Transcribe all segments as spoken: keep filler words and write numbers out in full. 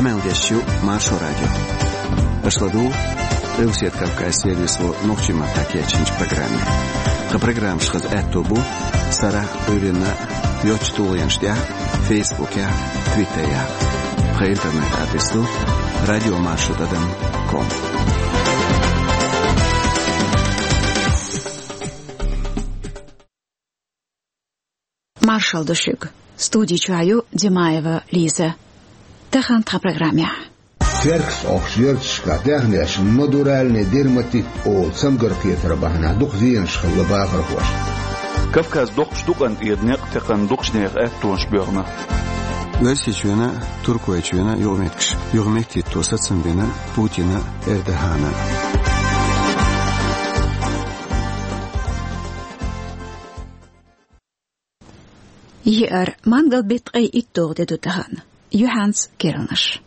Къамел деш ю Маршо радио. Аша ладугӀу Къилбаседа Кавказан сервисо нохчийн маттахь кечйинчу программе. Тхан программаш хаза аьтто бу сарахь, Ӏуьйранна йоцачу тулгӀенаш тӀехь, Фейсбукехь, Твиттерехь. Тхан интернет-адрес ду радио маршо тӀадам ком. Маршалла ду шуьга. Студи чохь ю Димаева Лиза. Тахана тхан программехь. Теркаца Ӏохкучу ярташкахь даьхнешна надуральный дерматит олу цамгар кхетар бахьанехь дукха зенаш хилла бахархошна. Кавказ доккхачу дукъан тӀера некъ текхна дукхачу нехан аьттонаш боьхна. Оьрсийчоьнан а, Туркойчоьнан а юкъаметтигаш юхаметтахӀитто сацам бина Путинна а, Эрдогана а. Еара, мангал-беттан ткъе итталгӀа де ду тахана. Юьхьанца керланаш.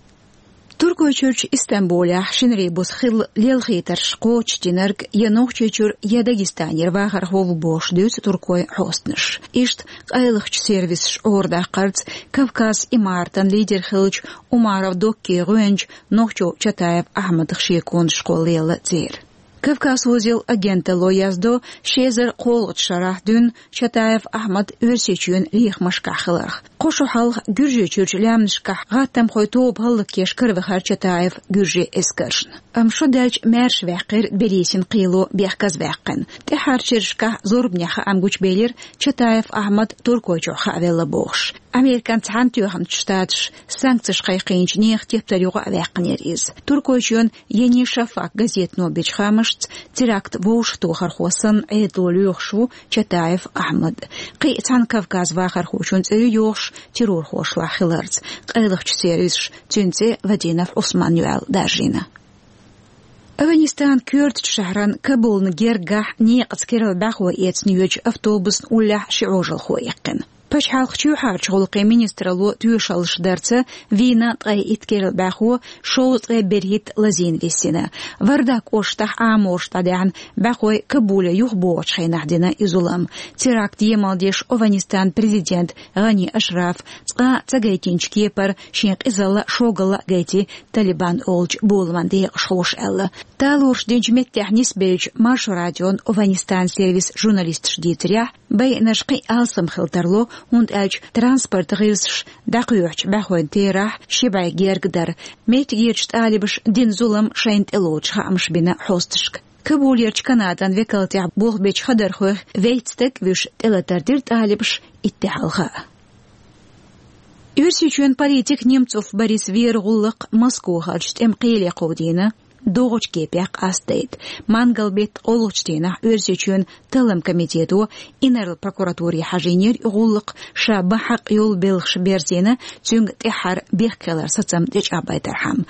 Туркойчуьрчу Истамбулехь шинарин буса хилла лелхийтарш кхочушдинарг я Нохчийчуьра, я Дагестанера вахархо ву бохуш дуьйцу туркойн хьостанаша. Иштта къайлахчу сервисаша Ӏорадаккхарца Кавказ имаратан лидер хиллачу Умаров Доккин гӀоьнча нохчо Чатаев Ахьмадах шеконаш кхолла лелла церан. Кавказ узел агенталло яздо ши эзар кхоалгӀачу шарахь дуьйна Чатаев Ахьмад Оьрсийчоьнан лехамашкахь хиларх. Кхо шо хьалха Гуьржийчуьрчу лаьмнашкахь гӀаттамхойн тоба хӀаллакъеш каравахара Чатаев гуьржийн эскаршна. Амма шо даьлча маьрша ваьккхира Берисин кхело бехказаваьккхина. ТӀаьххьарчу шерашкахь зорбанехь хаам гучубелира Чатаев Ахьмад Туркойчохь хаавелла бохуш. Американ Цхьаьнатоьхначу Штаташа санкцеш кхайкхийначу нехан тептар юкъа а ваьккхинера иза. Туркойчоьнан Ени Шафак газетано бечу хаамашца, теракт вовшахтохархо санна Ӏедало лоьхуш ву Чатаев Ахьмад. Кхин а цхьана Кавказан вахархочун цӀе ю йохуш террорхошлахь хиларца. Къайлахчу сервисаша цуьнан цӀе Вадинов Ӏусман ю аьлла даржийна. Афганистанан коьртачу шахьаран Кабулна гергахь некъаца керла бӀаьхой эцна йоьдучу автобусна уллехь ши Ӏожалхо иккхина. Пачхьалкхан чоьхьарчу гӀуллакхийн министралло тоьшаллаш дарца, вийна ткъе итт керла бӀаьхо, шовзткъе берхӀитта лазийна висина. Вардаг кӀоштахь Ӏамораш дӀадаьхьна бӀаьхой Кабуле юхабогӀучу хенахь дина и зулам. Теракт емал деш Афганистанан президент ГӀани Ашраф цкъа а ца гайтинчу кепара шен къизалла а, шогалла а гайти Талибан олучу боламан декъашхоша аьлла. Талораш динчу меттехь нисбеллачу Маршо радион Афганистанан сервисан журналисташа дийцарехь, байинарш кхин а алсам хила тарло, хӀунда аьлча транспортан гӀирсаша дӀакхоьхьучу бӀаьхойн терахь ши бӀе герга дара. Меттигерчу талибаша дина зулам шайна тӀелоцуш хаамаш бина хьосташка. Кабулерчу Канадан векалтехь болх бечу хадархойх вейтта стаг а вуьйш тӀелатар дира талибаша итт де хьалха. Оьрсийчоьнан политик Немцов Борис веран гӀуллакх Москвахарчу тӀеман кхеле кховдийна, догӀучу кепех къастадайта. Мангал-беттан олхачу дийнахь Оьрсийчоьнан талламан комитето инарла прокуратуре хьажийнера и гӀуллакх, ша бан хьакъ йолу белхаш берзийна, цуьнга тӀаьххьара бехкхалар сацам тӀечӀагӀбайтархьама.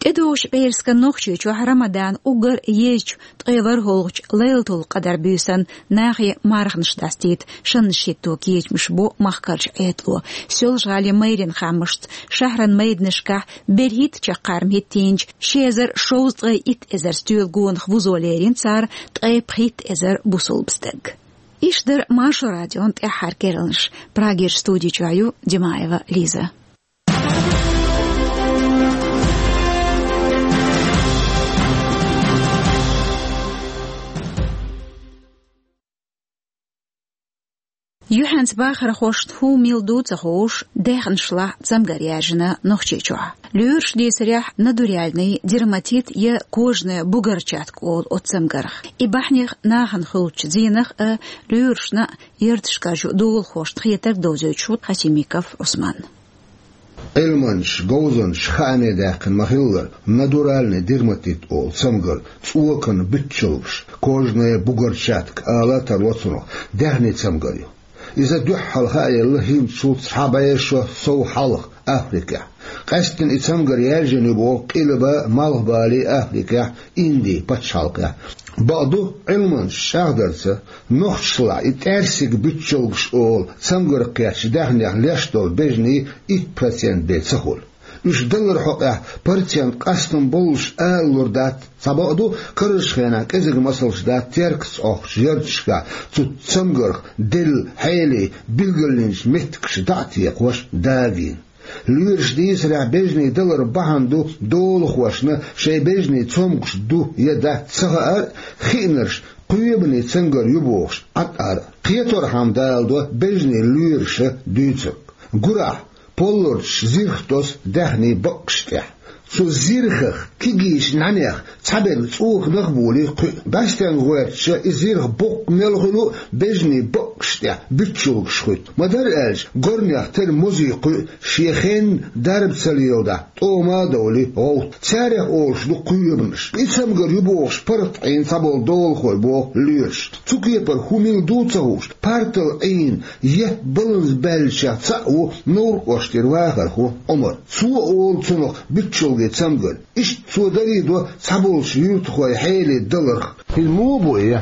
ТӀедогӀучу пӀераскан Нохчийчохь Рамадан уггар а езачу ткъе ворхӀалгӀачу Лайлатул-Къадар буьйсанна нахе марханаш дастийта шаннаш хӀитто кечамаш бо махкарчу Ӏедало. Соьлжа-ГӀалин мэрин хаамашца, шахьаран майданашкахь берхӀитта чаккхарма хӀиттийначу ши эзар шовзткъе итт эзар стоьла гонах вузо лерина цара ткъе пхийтта эзар бусулба стаг. Иштта дара Маршо радион тӀаьххьара керланаш. Прагерчу студи чохь ю Димаева Лиза. Юьхьанца бахархошна хӀун мила ду ца хууш, даьхнашлахь цамгар яьржина Нохчийчохь. Лоьраша дийцарехь, надуральный дерматит я кожная бугорчатка олу оцу цамгарх. И бахьанех нахана хуьлучу зенах а, лоьрашна а ярташкарчу долахошна хетарг довзуьйтуш ву Хасимиков Ӏусман. Ӏилманчаша, говзанчаша хааме даьккхина ма-хиллара, надуральный дерматит олу цамгар цӀоканан буьтчалгаш, кожная бугорчатка ала а тарло цунах, даьхни цамгар ю. Иза дуьххьал хааелла хӀинцачул цхьа бӀе шо сов хьалха Африкехь. Къаьсттина и цамгар яьржина ю боху Къилба, Малхбале Африкехь, Инди пачхьалкхехь. Бакъду, Ӏилманчаша чӀагӀдарца, нохчашлахь и тӀаьрсиг буьтчалгаш олу цамгарх кхеттачу даьхнех леш долу бежанийн итт процент бен ца хуьлу. Уьш далларан хьокъехь процент къастам боллуш ала лур дац, цхьабакъду, карарчу хенахь кӀезиг масалш дац Теркаца Ӏохкучу ярташкахь цу цамгарх делла хьелий билгалйинчу меттигаш дӀа а текхош дагийна. Лоьраш дийцарехь, бежанийн далар бахьана ду долахошна шайн бежанийн цомгуш ду я дац ца хаар а, хиънарш кхоьбанийн цамгар ю бохуш Ӏад ара а. Кхеторхьама даладо бежанийн лоьраша дуьйцург. Гурахь, полларчаш зирх тосу даьхнийн баккъаш тӀехь. Цу зирхах, кегийчу нӀаьнех цхьаберг цӀоканах а болий кхуьу. БӀаьстенга гӀоьртича, и зирх боккха мел хуьлу а бежанийн баккъаш тӀехь буьтчалгаш хуьтту. Ма-дарра аьлча, горнех тера мозий кхуьу шен хенна дарба ца леладахь, тӀома а довлий гӀовтта. Царех олуш ду кхоьбанаш. И цамгар ю бохуш паргӀат Ӏийна цхьаболу долахой боху лоьраша. Цу кепара хӀун мила ду а ца хууш, партал Ӏийна, етта баланза баьллачех цхьаъ ву Невран кӀоштара вахархо Ӏумар. Цо а олу цунах буьтчалган цамгар. Иштта цо дарий до цхьаболчу юьртахойн хьеле даларх. ХӀинца муха бу и?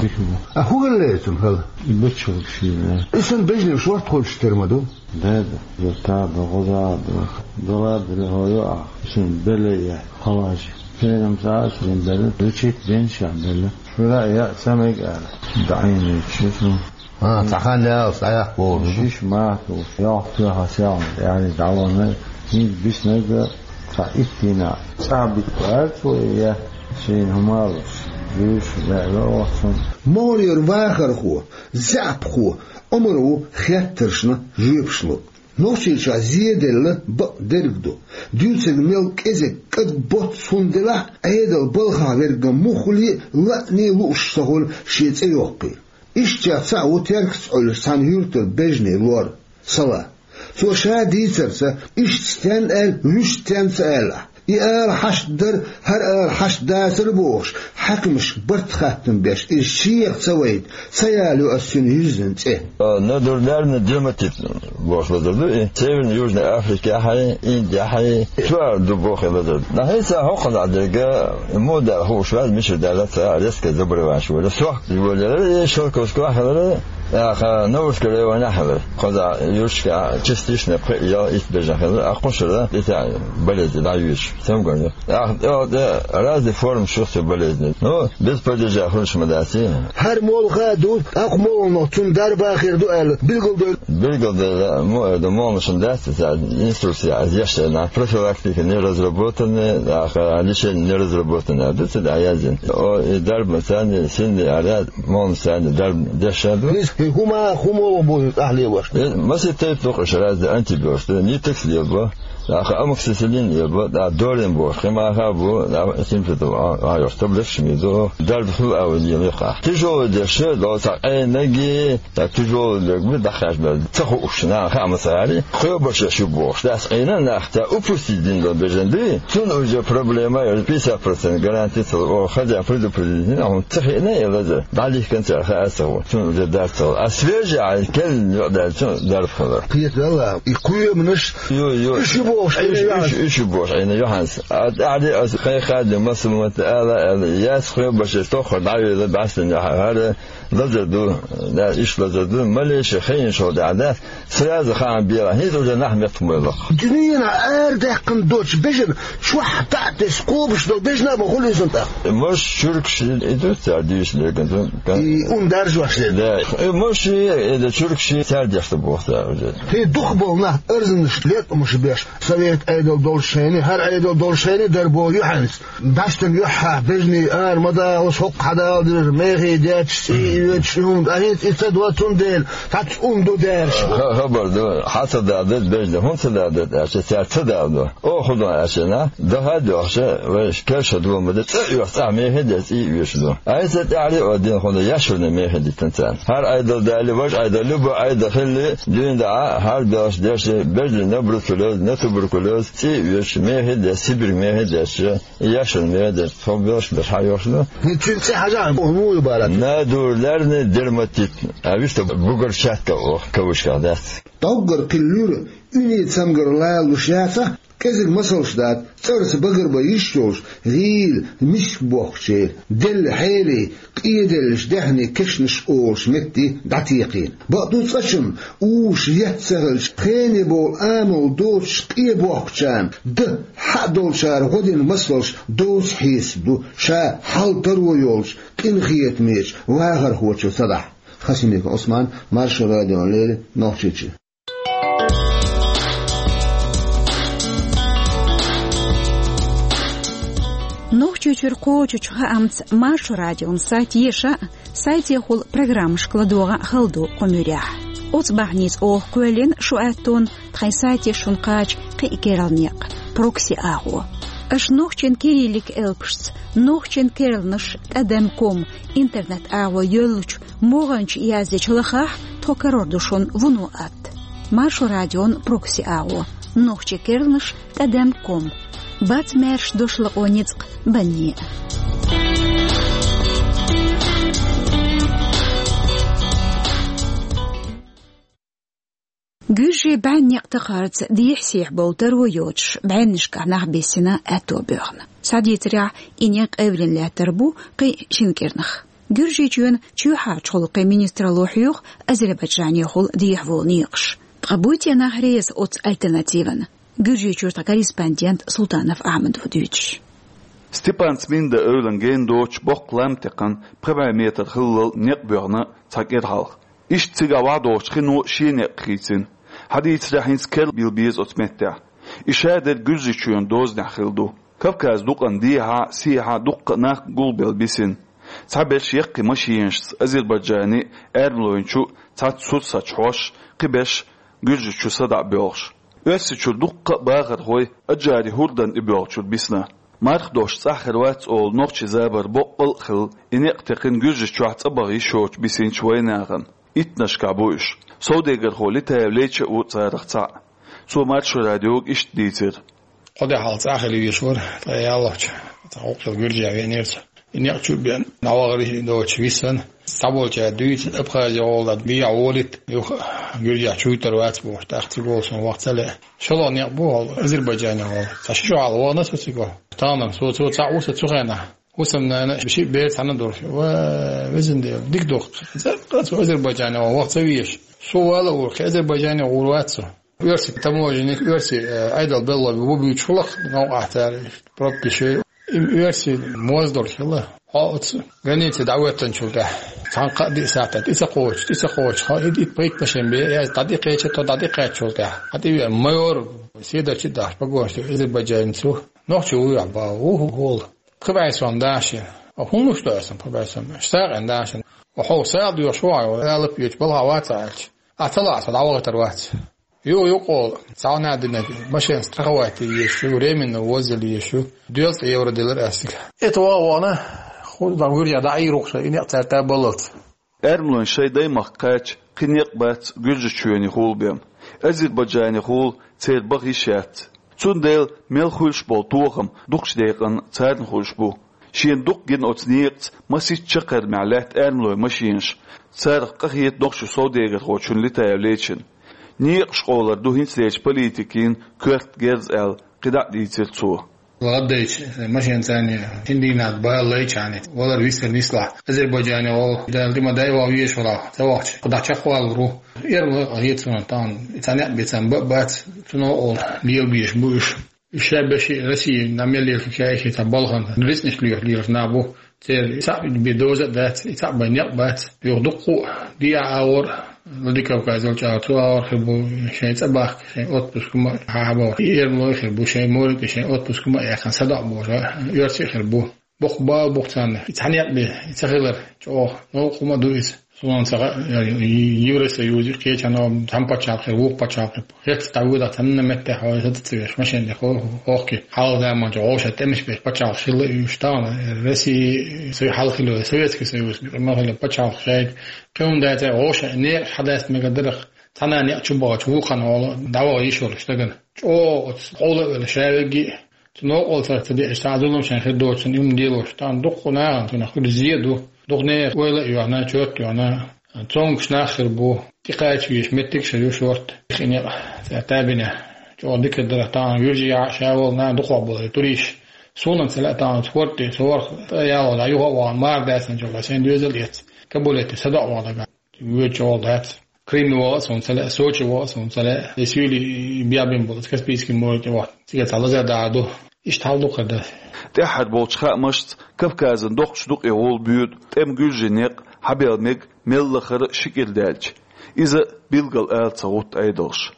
Дика бу. А хӀун хилла цунна хала? И буьтчалгаш йина. И санна бежанийн шорта хуьлуш тера ма ду? Да, да. Зуд а ду, гӀоза а ду. Дала а делла хӀо ю ахь. Шен белла яц, хьалажа. Пенам цӀа а шен белла, лечить ден ша белла. Шура а яа ца мега аьлла. ДӀаийначу ши цунна. А, цхьа хан яьлча дӀаяккха боху. Шиш мах ду, йоккха тоьхна сел, аьлла, дӀавахана, хӀинца биснарг а, цхьа иттина цӀа битта ваьлла цо, я шайна хӀума а луш, жуьйш а лаьа оцу цунна. МогӀарера вахархо, заьӀапхо Ӏумар ву хеттаршна жоьпаш лург. Нохчийчохь зеделла бакъ дерг ду. Дуьйцург мел кӀезиг, кӀадбоццу хӀума делахь а, Ӏедал балхахь верг муха хуьлий а лаьа лууш ца хуьлу шен цӀе йоккхий. Ишттачех цхьаъ ву Теркаца Ӏуьллуш цхьана юьртара бежанийн лор, Сала. Цо ша дийцарца, иштта стенна аьлла, вуьшта стенна ца аьлла ахь. И ала хьашт дара, хӀара ала хьашт дацара бохуш, хьаькамашка барт хаттам беш, иза шех ца вайта, ца ялайо аса цуьнан юьззина цӀе. А, нодулярный дерматит бохуш лазар ду и. Северно-Южной Африкехьий, Индехьий, цу ара ду боху и лазар. Нахьийца хӀокхузахь дерг, муха даьлла хууш вац, мичара даьлла ца, резкое заболевание вара. Сох йолаелира, и Шелковскохь хилира, тӀаккха Новосскаревана хилира. Кхузахь юьрташкахь частично пхиъ я итт бежан хилира, а кхушара и тӀе болезнь дӀайоьдуш, цамгарна. ТӀаккха тӀе, тӀе разные формы ю цу болезни. Ну, без падежа хуьлуш ма дац и. ХӀара молха а ду, тӀаккха молханах цунна дарба а хир ду аьлла, билгалдойла. Билгалдойла, мо-, ду, молханашна дац, цара инструкция аз еш дерг, профилактика не разработана, тӀаккха лечение не разработана, ду ца дӀаязйина. О, и дарба царна синна аьлла, молханашна дарба деш а ду. Хиз, хи хӀума, хӀума бу тӀаьхьа лелош. Э, масийтта тайпа ду-кх уьш, разные антибиотикаш, нитекс лелабо, тӀаккха амоксисилин лелабо, тӀаккха долин боху, кхин маха а бу, тӀаккха симпетал а, а, йолуш таблеткаш ма ду, дарба хуьлу а вай лелайо-кх. Тяжёлый деш а, до цхьа Ӏенарг, тӀаккха тяжёлый дерг бу, дӀахаьжна ца хууш, нахана хаа ма ца гӀерта, кхоьбарш ю бохуш, дац Ӏийна нах, цара упустить дина долу бежан дуй, цунна уже проблема, пятьдесят процент гарантия ца ло, о, хотя предупредить дина, хӀунда ца хиъна и лазар, дӀалихкина цара хаа ца хууш, цунна уже дарба ца хууш. А свежий а, керла юкъадаьллачун дарба хилар. Кхетаралла, и кхоьманаш, ю, ю, уьш ю бохуш, уьш, Ӏийна уьш, юьхьанца. Уьш ю бохуш Ӏийна юьхьанца. А тӀаьхьа а аса кхайкхаде массо а мотт ала, ала, яц кхоьбарш, тоххара дӀавелла, бӀаьстенна хӀара лазар ду, да, иштта лазар ду, малейший хиъна шо дӀа, да, сразу хаам бела, хӀинца уже нах меттахбойла-кх. Дуьненахь арадаьккхина доцчу бежана чохь дӀа а тесна, кхобуш долу бежана а ма хуьлу иза тӀаккха. Можа чуьркаш и ду цара дуьйцу дерг, и ун даржош дерг. Да, и можа и, и да чуьркаш цара деш ду боху цара уже. ХӀинца дукхахболу нах арзанаш, леткъамаш беш, совет Ӏедал долчу хенахь, хӀара Ӏедал долчу хенахь дара боху юьхьанца. ДӀаьштан юьххьехь бежанийн ара ма далалаш, хӀокху хьадала дезаш, мехий детташ, цӀий а йоьдуш, и хӀума, а хӀинца и ца до, цундела цхьацца хӀума ду дераш. Ха-, хабар ду, хьан ца дала деза бежанийн, хӀунда ца дала деза аьлча, цара ца дала ду. Оха хӀун до аьлча, нах даха а доьхча, вайша керша ду ма де, цӀа а оьху, цӀахь мехий а деш, цӀий а оьшуш ду. Айса тӀаьхьа а дина хӀума ду, яшурна мехий диттина царна. ХӀара Ӏедал далий, важа Ӏедал, любой Ӏедал хилли, дуьйна дӀа, хӀара белхаш деш, бежанийн на бруцеллёз, на туберкулёз, цӀий а оьшуш, мехий а деш, Сибирг мехий а деш, яшурна мехий а деш, тхо белхаш беш хьан йохуш ду? ХӀинца цуьнан цӀе хьажахьа, муха ю бара? Нодулярный дерматит. А виста бугорчатка оха, кавычках дац. ДӀоггара кхин луьра, уьний цамгар лалуш яцахь, кӀезиг масалш дац, цӀарца багарбан йиш йолуш, гӀийла, миска бохкучеран, делла хьерий, къеделлачу даьхнийн кешнаш олуш метте дӀатекхийна. Бакъду, цкъачунна, уьш етта ца хилча, хене бовла амал доцуш къе бохкучарна, дан хьаъ долчара гӀо дина масалш доцу хьесап ду, ша хьал таро йолчу къинхетамечу вахархочо ца дахь. Хасимиков Ӏусман, Маршо радиона леррина, Нохчийчоь. Чуьра кхочучу хаамца Маршо радион сайт еша а, сайтехула программашка ладогӀа а хала ду кху муьрехь. Оцу бахьаница оха кхоьллина шу аьттон тхайн сайте шуна кхача кхин а керла некъ, прокси агӀо. Аша нохчийн кириллик элпашца, нохчийн керланаш тӀадам ком интернет агӀо йоьллучу могӀанчу яздечу лахахь тхо карор ду шуна вуно атта. Маршо радион прокси агӀо, нохчийн керланаш тӀадам ком. Бац маьрша дош лакъо ницкъ банне. Гуьржийн бӀеннекъ тахарца дехьа-сехьа болу таро йоцуш, бӀеннашкахь нах бисина аьтто боьхна. Схьадийцарехь, и некъ къевлина лаьттар бу кхин шина кӀирнах. Гуьржийчоьнан чоьхьарчу гӀуллакхийн министралло хьоьху Азербайджанехула дехьаволу некъаш. Ткъа буй те нах реза оцу альтернативана? Гуьржийчуьра тхан корреспондент Султанов Ахьмад ву дуьйцуш. Степан Цминда эвлана гена доцуш боккха лам текхна, пхи бӀе метр хиллал некъ боьхна цхьа кӀира хьалха. Иштта цигахь вахьа доцучу хино шен некъ хийцина. Хьадийцарехь, хӀинца керла билла беза оцу меттехь. И шадерг Гуьржийчоьнан дозанехь хилла ду. Кавказан дукъана дехьа а, сехьа а дуккха а нах гулбелла бисина. Цхьаберш яккхий машенашца Азербайджанан аьрмалойн чу цхьацца сурсаташ хьош, кхиберш Гуьржийчу садаӀа боьлхуш. Оьрсийчуьра дуккха а бахархой Аджари хӀордан тӀе боьлхучуьра бисна. Марха дош цӀахь хир вац олу нохчийн забар боккъал а хилла, и некъ текхина Гуьржийчохь цӀа баха йиш йоцуш бисинчу вайнахана. Иттаннашкахь бу уьш. Совдегархо Летаев Леча а ву царах цхьаъ. Цо Маршо радиога иштта дийцира. Кхо де хьалха цӀа а хила везаш вара, ткъа яллалц цхьа гӀуллакх хилла Гуьржехь веанера цо. И некъ чу а беана, дӀавахара доцуш висина. Цхьаболчара дуьйцу, Абхазе гӀолла дӀа дехьа волийта, юха Гуьржехь чуьйтур вац бохуш, тӀаккха цига волу суна ваха ца лаьа. ШолгӀа некъ бу хьо Азербайджане гӀолла. Цхьа ши шо хьалха вахана со цига. Тахана со, цо цхьаъ ву сан цу хенахь. ХӀусамнана, шиъ бер цхьаьна долуш. Ва, везан Дела, дика ду-кх. Цкъа а цо Азербайджане гӀолла ваха ца везаш. Со вала а вора, кхин Азербайджане гӀур вац со. Оьрсийн таможенник, оьрсийн, э, Ӏедал беллой бу буьйцуш хилла-кх новкъахь цара, прописи. И оьрсийн моз долуш хилла. Хьо оцу границе дӀахӀоьттинчул тӀаьхьа цхьана-кхаа-диъ сахьтехь тӀе ца кхочуш, тӀе ца кхочуш, хьо итт-итт пхийтта машен бен, ас дӀатӀекхеча, тхо дӀатӀекхаьччул тӀаьхьа. Хьан тӀе веана майор, седарчий дахьаш погонаш ду, азербайджанец ву. Нохчо вуй ахь боху, ву, ву, хӀолла. Пхи бӀе сом дахьаш. А хӀун луш ду аса пхи бӀе сом? СагӀина дахьаш. Хьо сагӀа доьхуш ву хьо, алапа йоьдуш балха вац аьлча. Ахь ца лаахь, со дӀавахийтар вац. Ю, юкъа олу, цхьа ванна динарг, машен страховать е езаш ю, временно ввозить е езаш ю, доьлла цкъа евро делира ас цига. ХӀета ваха вахана, хӀун дан вуьржехь дӀаийр ву-кх ша, и некъ цара тӀе а баллалц. Аьрмалойн шайн даймахка кхаьчча, кхин некъ бац Гуьржийчоьне хулабен. Азербайджане хула церан баха йиш яц. Цундела мел хуьлуш болу тохам дукхачу декъана царна хуьлуш бу. Шена дукха гина оцу некъаца масийтта чаккхармехь лаьтта аьрмалойн машенаш, царах къахета нохчийн совдегархочунна Летаев Лечина. Некъаш къовлар ду хӀинцалерчу политикийн коьрта герз аьлла, кхидӀа а дийцира цо. ГӀаддайча, машен царна шина дийнахь бала лайча хьаьнца, валар висар нислахь. Азербайджане гӀолла, Дала тӀе ма дай ван везаш валахь, ца вахча, кху дӀа чекхвалур ву. Эрна хета суна тахана, и цхьа некъ бен царна ба а бац, цунах а олу, лелабеш бу уьш. Уьш ша бен шиъ Россия, нах мел лелахь ша эхе цхьа балхана, рицкъанаш лоьхуш лелаш нах бу. Церан и цхьаъ бен доза а дац, и цхьаъ бен некъ бац. Юха дуккха а дехьа агӀор, Владикавказ йолчу агӀор, цу агӀор хир бу шайн цӀа бахка, шайн отпуск ма хьахьабоху. И эрмалой хир бу, шайн морин тӀе шайн отпуск ма а яьккхина, садоӀу бохуш, оьрсий а хир бу. Боккха бала бу-кх царна. И цхьа некъ бен, и ца хилар чӀогӀа новкъа хӀума а ду иза. Суна ца хаьа, Евросоюзе кхечанхьа цхьана пачхьалкх хир, вукху пачхьалкх хир. ХӀетта дӀавоьдахь цхьана меттехь хьо хӀета ца веш, машен тӀе хо-, хохке. Хьалха заманчохь вовшах тӀемаш беш пачхьалкхаш хилла а уьш, тахана Россия, Сов-, хьалха хилла Советский Союз, ма хилла пачхьалкх шайга. Кхин хӀума дацара, вовшах некъаш хьадаста мегар дара-кх. Цхьана некъ чу бахча вулкхан гӀолла дӀаваха йиш йолуш дагана. ЧӀогӀа оцу къовла а велла ша вегги а. Цу новкъа цара ца деъча, цхьа а зулам шайн хир доцурна и хӀума делош, тахана дуккха нахана цунах хуьлу зе а ду. Дукха нехан ойла а йохна, чот а йохна, цомгуш нах хир бу, тӀекхача везаш меттиг а ша ю шорта. Кхин некъ цара табина. ЧӀогӀа дика дара тахана, вуьржий а ша волу нах дукхох болу туристаш. Суна ца лаьа тахана спорт тӀе, сорах тӀе яло дӀа юха а вахана, мара даьсанчул шайн доьзал а эцна, Кабуле тӀе садоӀу ваха дагахь. Воьдуш гӀолла дац. Крыме ваха а суна ца лаьа, Сочи ваха а суна ца лаьа. Эсвили бехбина болу Каспийский море тӀе вахана. Цига цхьа лазар дахьар ду. Иштта хьал ду-кх хӀара. ТӀаьххьара болчу хаамашца Кавказан доккхачу дукъе гӀолла боьду тӀеман гуьржийн некъ хьабелла мега мел лахара ши кӀира даьлча. Иза билггал ала ца гӀутту Ӏедалша.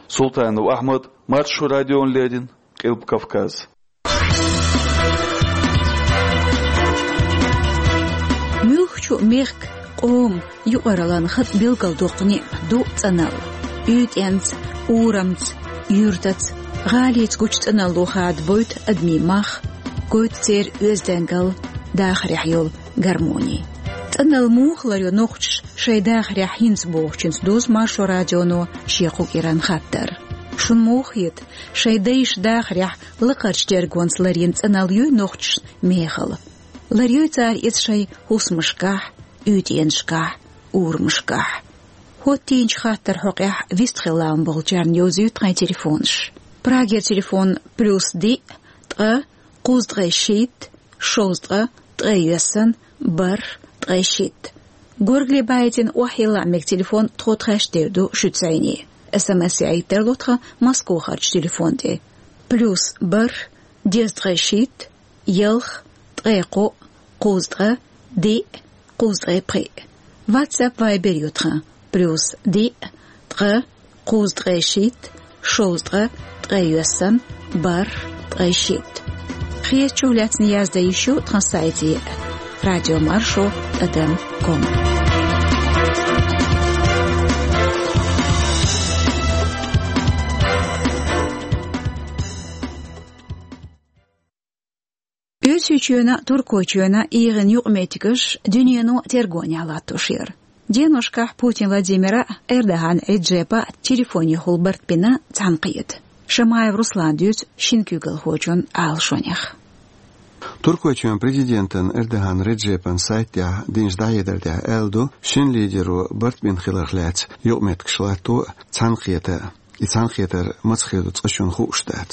Султанов Ахьмад, Маршо радиона леррина, Къилба Кавказ. Мехка, къоман юкъараллан хатӀ билгалдоккху ниӀ ду цӀанал. УьйтӀенца, урамца, юьртаца, гӀалица гучу цӀаналло хадабойту адамийн мах, гойту церан оьздангалла, дахарехь йолу гармони. ЦӀаналла муха ларйо нохчаша шайн дахарехь хӀинца бохучуьнца дузу Маршо радионо шен кху кӀиран хаттар. Шуна муха хета, шайн дайша дахарехь лакхарчу тергонца ларйина цӀаналла юй нохчашна мехала? Ларйой цара иза шайн хӀусамашкахь, уьйтӀенашкахь, урамашкахь? ХӀоттийначу хаттаран хьокъехь вистхила лаам болчарна йовзуьйту тхайн телефонаш. Прагера телефон: плюс диъ, ткъа, кхузткъе шийтта, шовзткъа, ткъе йоьсна, бархӀ, ткъе шийтта. Горгали баийтина охьайилла мега телефон тхо тхаьш дер ду шуьца зӀене. СМС яийта тарло тхан Москвахарчу телефон тӀе: плюс бархӀ, дезткъе шийтта, ялх, ткъе кхоъ, кхузткъа, диъ, кхузткъе пхиъ. WhatsApp, Viber ю тхан: плюс диъ, ткъа, кхузткъе шийтта, шовзткъа, ткъе йоьсна, бархӀ, ткъе шийтта. Хезачух лаьцна яздан йиш ю тхан сайте: радиомаршо тӀадам ком. Оьрсийчоьнан а, Туркойчоьнан а эгӀан юкъаметтигаш дуьнено тергонехь латтош яра. Деношкахь Путин Владимира а, Эрдоган Реджепа а телефонехула барт бина цхьаьнакхета. Шамаев Руслана дуьйцу шина куьйгалхочун алашонех. Туркойчоьнан президентан Эрдоган Реджепан сайта тӀехь динчу дӀахьедар тӀехь аьлла ду, шина лидеро барт бина хиларх лаьцна юкъаметтигаш латто а, цхьаьнакхета а. И цхьаьнакхетар маца хир ду цкъачунна хууш дац.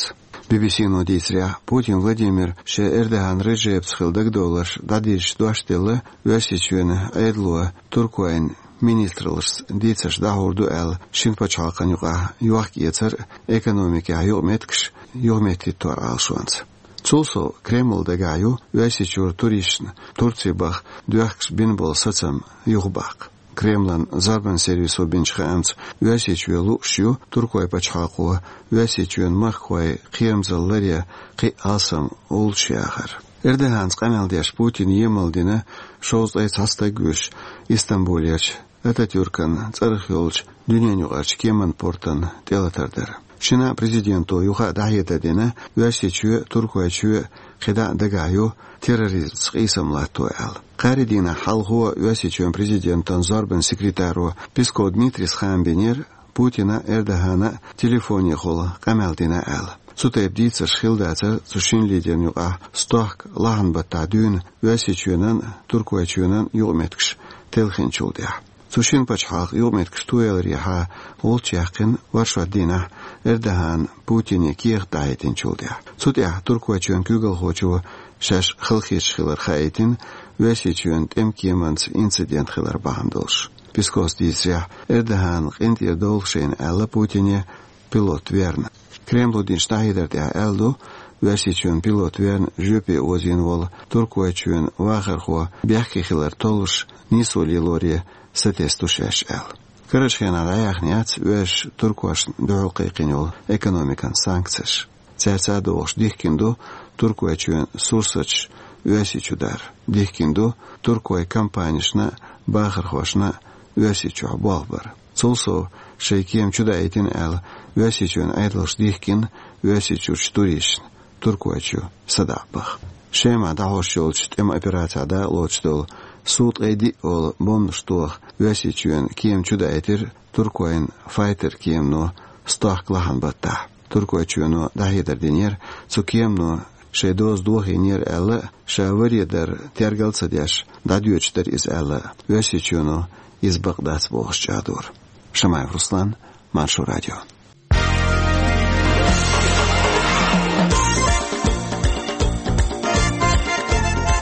Би-би-си-но дийцарехь, Путин Владимира шен Эрдоган Реджепца хилла дагадовларш дӀадирзича дош делла, Оьрсийчоьнан Ӏедало Туркойн министраллашца дийцарш дӀахьур ду аьлла, шина пачхьалкхан юкъахь йохка-эцар а, экономикехь юкъаметтигаш юхаметтахӀиттор Ӏалашонца. Цул сов, Кремлан дагахь ю Оьрсийчуьра туристашна Турци баха доьхкаш бина болу сацам юхабаккха. Кремлан зорбанан сервисо бинчу хаамца, Оьрсийчоь лууш ю Туркойн пачхьалкхо Оьрсийчоьнан махкахойн кхерамзалла ларъян кхин а алсам гӀулчаш яхар. Эрдоганца къамел деш Путина емал дина шовзткъе цхьа стаг вуьйш, Истамбулерчу Ататюркан цӀарах йолчу дуьненаюкъарчу кеманан портан тӀелатар дара. Шина а президенто юха а дӀахьедар дина, Оьрсийчоь а, Туркойчоь а кхидӀа а дагахь ю терроризмца къийсам латто аьлла. Кхаарин дийнахь хьалхо Оьрсийчоьнан президентан зорбанан секретаро Песков Дмитрийс хаам бинера Путина а, Эрдогана а телефонехула къамел дина аьлла. Цу тайпа дийцарш хилла дацара цу шина лидерна юкъахь стохка лахьан баттахь дуьйна Оьрсийчоьнан а, Туркойчоьнан а юкъаметтигаш телхинчул тӀаьхьа. Цу шина пачхьалкхан юкъаметтигаш тояларехьа гӀулч яьккхина оршот дийнахь Эрдогана Путине кехат дӀахӀиттинчул тӀаьхьа. Цу тӀехь Туркойчоьнан куьйгалхочо шаьш халахеташ хилар хаийтина, Оьрсийчоьнан тӀеман кеманца инцидент хилар бахьана долуш. Песковс дийцарехь, Эрдогана къинтӀера довла шайна аьлла Путине пилот верна. Кремло динчу дӀахьедар тӀехь аьлла ду, Оьрсийчоьнан пилот верна жоьпе озийна волу Туркойчоьнан вахархо бехке хилар толлуш нийсо лелоре сатесна ду шаьш аьлла. Карарчу хенахь дӀаяьхна яц оьрсаша туркошна дуьхьал кхайкхина йолу экономикан санкцеш. Цаьрца а догӀуш дихкина ду Туркойчоьнан сурсаташ Оьрсийчу дар. Дихкина ду Туркойн компанешна а, бахархошна а Оьрсийчохь болх бар. Цул сов, шайн кема чудаийтина аьлла, Оьрсийчоьнан Ӏедалша дихкина Оьрсийчуьрчу туристашна Туркойчу садаӀа баха. Шемахь дӀахьош йолчу тӀеман операцехь дакъалоцуш долу Су ткъе диъ олу бомбанаш тоха Оьрсийчоьнан кема чудаийтира Туркойн файтер кемано стохка лахьан баттахь. Туркойчоьно дӀахьедар динера, цу кемано шайн доза дохийнера аьлла, ша варе дар тергал а ца деш, дӀадоьдуш дара иза аьлла, Оьрсийчоьно иза бакъ дац бохуш чӀагӀдора. Шамаев Руслан, Маршо радио.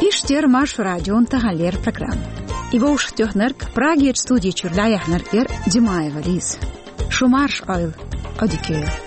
Иштта яра Маршо радион таханлера программа. И вовшахтоьхнарг, Прагерчу студи чуьра дӀаяьхьнарг яра Димаева Лиза. Шу марша Ӏойла, Ӏодика йойла.